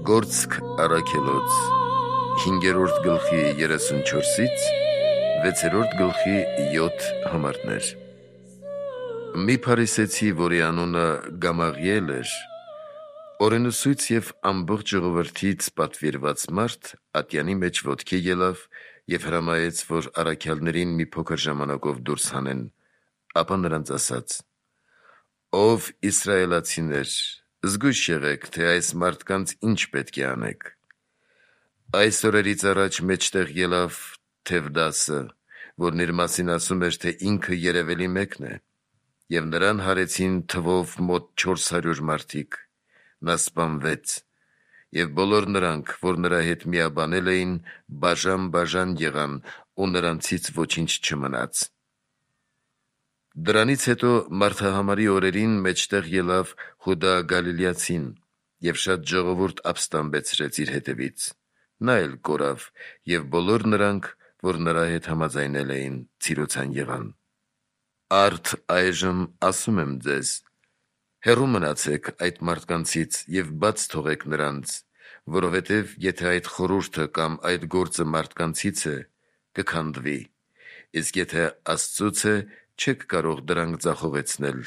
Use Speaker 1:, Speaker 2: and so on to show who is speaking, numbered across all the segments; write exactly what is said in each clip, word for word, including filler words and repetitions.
Speaker 1: Գործք առաքելոց հինգերորդ գլխի երեսունչորսից վեցերորդ գլխի յոթ համարներ։ Մի փարիսեցի, որի անունը Գամաղիել էր, օրենուսույց և ամբողջ ժողովրդից պատվիրված մարդ, ատյանի մեջ ոտքի ելավ և հրամայեց, որ առաքյալներին մի փոքր ժամանակով դուրս հանեն, ապա նրանց ասաց. «Ով իսրայելացիներ, զգույշ եղեք, թե այս մարդկանց ինչ պետք է անեք։ Այս օրերից առաջ մեջտեղ ելավ Թևդասը, որն իր մասին ասում էր, թե ինքը երևելի մեկն է, և նրան հարեցին թվով մոտ չորս հարյուր մարդիկ, նա սպանվեց, և բոլոր նրանք, որ նրա հետ միաբանել էին, բաժան-բաժան եղան, ու նրանցից ոչինչ չմնաց։ Դրանից հետո մարդահամարի օրերին մեջտեղ ելավ Հուդա Գալիլեացին, և շատ ժողովուրդ ապստամբեցրեց իր հետևից, նա էլ կորավ, և բոլոր նրանք, որ նրա հետ համաձայնել էին, ցիրոցան եղան։ Արդ այժմ ասում եմ ձեզ. հեռու մնացեք այդ մարդկանցից և բաց թողեք նրանց, որովհետև եթե այդ խորհուրդը կամ այդ գործը մարդկանցից է, կքանդվի, իսկ եթե Աստծուց է, չեք կարող դրանք ձախողեցնել,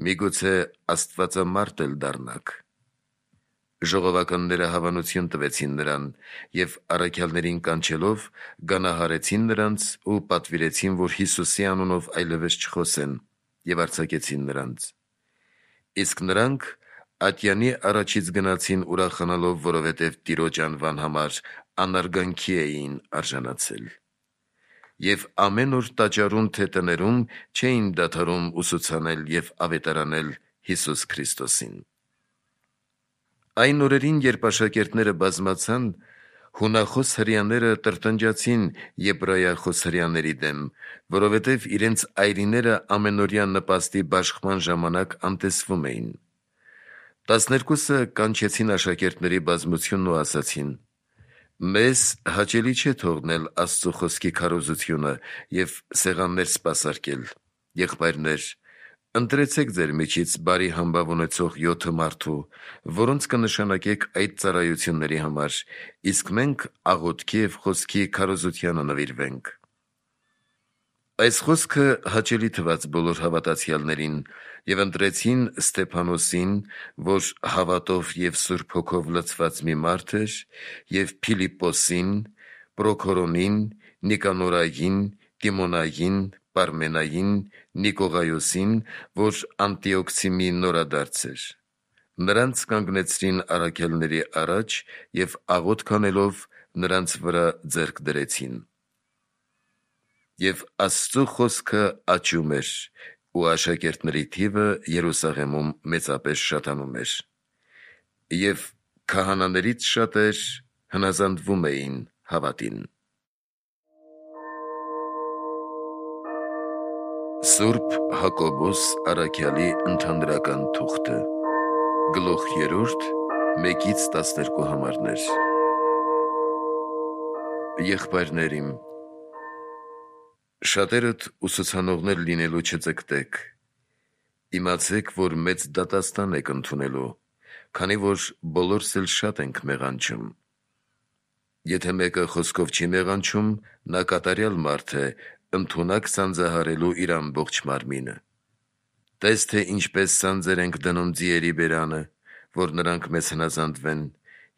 Speaker 1: միգուցե աստվածամարդ էլ դառնաք։ Ժողովականները հավանություն տվեցին նրան և առաքյալներին կանչելով գանահարեցին նրանց ու պատվիրեցին, որ Հիսուսի անունով այլևս չխոսեն, և արձակեցին նրանց։ Իսկ նրանք ատյանի առաջից գնացին ուրախանալով, որովհետև Տիրոջ անվան համար անարգանքի էին արժանացել։ Եվ ամեն օր տաճարում թե տներում չէին դադարում ուսուցանել և ավետարանել Հիսուս Քրիստոսին։ Այն օրերին, երբ աշակերտները բազմացան, հունախոս հրեաները տրտնջացին եբրայախոս հրեաների դեմ, որովհետև իրենց այրիները ամենօրյա նպաստի բաշխման ժամանակ անտեսվում էին։ Տասներկուսը կանչեցին աշակերտների բազմությունն ու ասացին. «Մեզ հաճելի չէ թողնել Աստծու խոսքի քարոզությունը և սեղաններ սպասարկել. եղբայրներ, ընտրեցեք ձեր միջից բարի համբավ ունեցող յոթը մարդու, որոնց կնշանակեք այդ ծառայությունների համար, իսկ մենք աղոթքի և խոսքի քարոզությանը նվիրվենք»։ Այս խոսքը հաճելի թվաց բոլոր հավատացյալներին, և ընտրեցին Ստեփանոսին, որ հավատով և Սուրբ Հոգով լցված մի մարդ էր, և Փիլիպպոսին, Պրոքորոնին, Նիկանորային, Տիմոնային, Պարմենային, Նիկողայոսին, որ Անտիոքցի մի նորադարձ էր։ Նրանց կանգնեցրին առաքյալների առաջ և աղոթք անելով նրանց վրա ձեռք դրեցին։ Եվ Աստծու խոսքը աճում էր, ու աշակերտների թիվը Երուսաղեմում մեծապես շատանում էր։ Եվ քահանաներից շատեր հնազանդվում էին հավատին։ Սուրբ Հակոբոս առաքյալի ընդհանրական թուղթը, գլուխ երրորդ, մեկից տասներկու համարներ։ Եղբայրներ իմ, շատերդ ուսուցանողներ լինելու չձգտեք, իմացեք, որ մեծ դատաստան եք ընդունելու, քանի որ բոլորս էլ շատ ենք մեղանչում։ Եթե մեկը խոսքով չի մեղանչում, նա կատարյալ մարդ է, ընդունակ սանձահարելու իր ամբողջ մարմինը։ Տես, թե ինչպես սանձեր ենք դնում ձիերի բերանը, որ նրանք մեզ հնազանդվեն,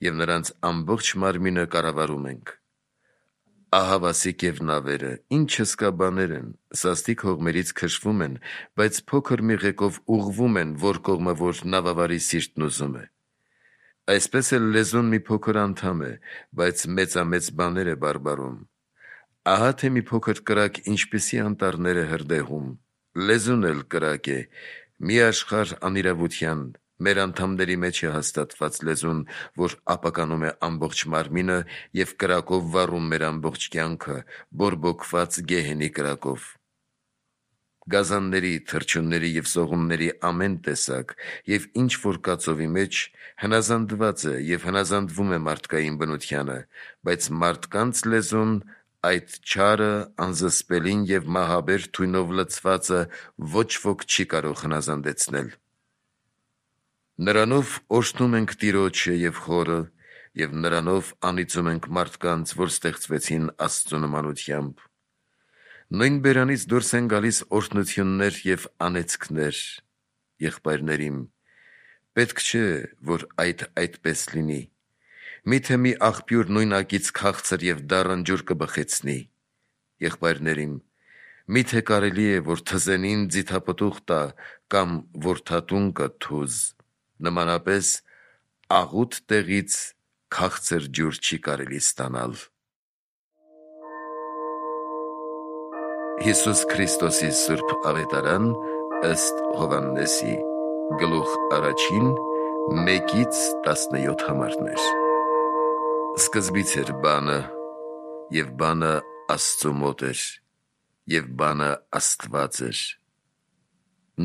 Speaker 1: և նրանց ամբողջ մարմինը կառավարում ենք։ Ահավասիկ և նավերը ինչ հսկա բաներ են, սաստիկ հողմերից քշվում են, բայց փոքր մի ղեկով ուղղվում են, որ կողմը որ նավավարի սիրտն ուզում է։ Այսպես էլ լեզուն մի փոքր անդամ է, բայց մեծամեծ բաներ է բարբարում։ Ահա թե մի փոքր կրակ ինչպիսի անտառներ է հրդեհում։ Լեզուն էլ կրակ է, մի աշխարհ անիրավության, մեր անդամների մեջ է հաստատված լեզուն, որ ապականում է ամբողջ մարմինը և կրակով վառում մեր ամբողջ կյանքը, բորբոքված գեհենի կրակով։ Գազանների, թռչունների և սողունների ամեն տեսակ և ինչ որ կա ծովի մեջ հնազանդված է և հնազանդվում է մարդկային բնությանը, բայց մարդկանց լեզուն, այդ չարը, անզսպելին և մահաբեր թույնով լցվածը ոչ ոք չի կարող հնազանդեցնել։ Նրանով օրհնում ենք Տիրոջը և Խորը և նրանով անիծում ենք մարդկանց, որ ստեղծվեցին Աստծու նմանությամբ։ Նույն բերանից դուրս են գալիս օրհնություններ և անեծքներ։ Եղբայրներիմ, պետք չէ, որ այդ այդպես լինի։ Միթե մի աղբյուր նույնակից քաղցր և դառն ջուր կբխեցնի։ Եղբայրներիմ, միթե կարելի է, որ թզենին ձիթապտուղ տա կամ որդատուն կը թուզ, նմանապես աղութ տեղից քաղցր ջուր չի կարելի ստանալ։ Հիսուս Քրիստոսի Սուրբ Ավետարան ըստ Հովհաննեսի, գլուխ առաջին, մեկից տասնյոթ համարներ։ Սկզբից էր բանը, և բանը Աստծու մոտ էր, և բանը Աստված էր։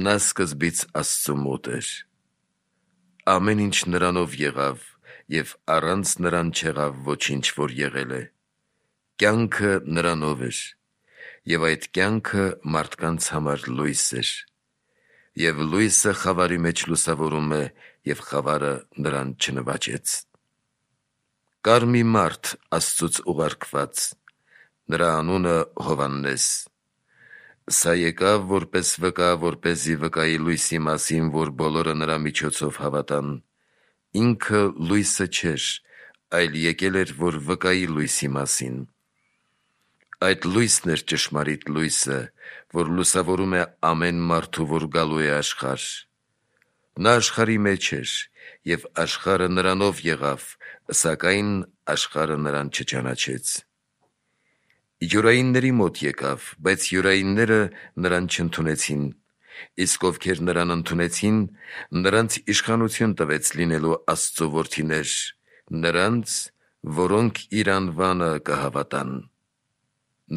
Speaker 1: Նա սկզբից Աստծու մոտ էր։ Ամեն ինչ նրանով եղավ, և առանց նրան չեղավ ոչինչ, որ եղել է։ Կյանքը նրանով էր, և այդ կյանքը մարդկանց համար լույս էր, և լույսը խավարի մեջ լուսավորում է, և խավարը նրան չնվաճեց։ Կար մի մարդ Աստծուց ուղարկված, նրա անունը Հովհաննես։ Սա եկավ որպես վկա, որպեսզի վկայի լույսի մասին, որ բոլորը նրա միջոցով հավատան։ Ինքը լույսը չէր, այլ եկել էր, որ վկայի լույսի մասին։ Այդ լույսն էր ճշմարիտ լույսը, որ լուսավորում է ամեն մարդու, որ գալու է աշխարհ։ Նա աշխարհի մեջ էր, և աշխարհը նրանով եղավ, սակայն աշխարհը նրան չճանաչեց։ Յուրայինների մոտ եկավ, բայց յուրայինները նրան չընդունեցին։ Իսկ ովքեր նրան ընդունեցին, նրանց իշխանություն տվեց լինելու Աստծու որդիներ, նրանց, որոնք իր անվանը կհավատան։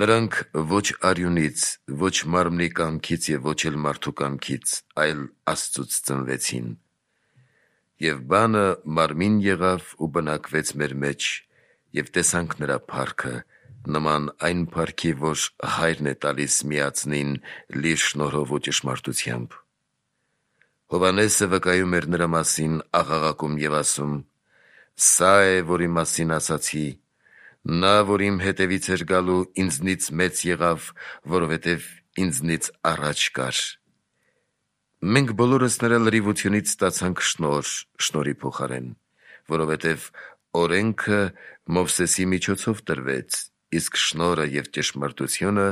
Speaker 1: Նրանք ոչ արյունից, ոչ մարմնի կամքից և ոչ էլ մարդու կամքից, այլ Աստծուց ծնվեցին։ Եվ բանը մարմին եղավ ու բնակվեց մեր մեջ, և տեսանք նրա փառքը, նման այն փառքի, որ Հայրն է տալիս միածնին լի շնորհով ու ճշմարտությամբ։ Հովհաննեսը վկայում էր նրա մասին աղաղակում և ասում. «Սա է, որի մասին ասացի. նա, որ իմ հետևից էր գալու, ինձնից մեծ եղավ, որովհետև ինձնից առաջ կար»։ Մենք բոլորս նրա լրիվությունից ստացանք շնորհ շնորհի փոխարեն, որովհետև օրենքը Մովսեսի միջոցով տրվեց, իսկ շնորհը և ճշմարտությունը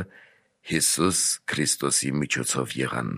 Speaker 1: Հիսուս Քրիստոսի միջոցով եղան։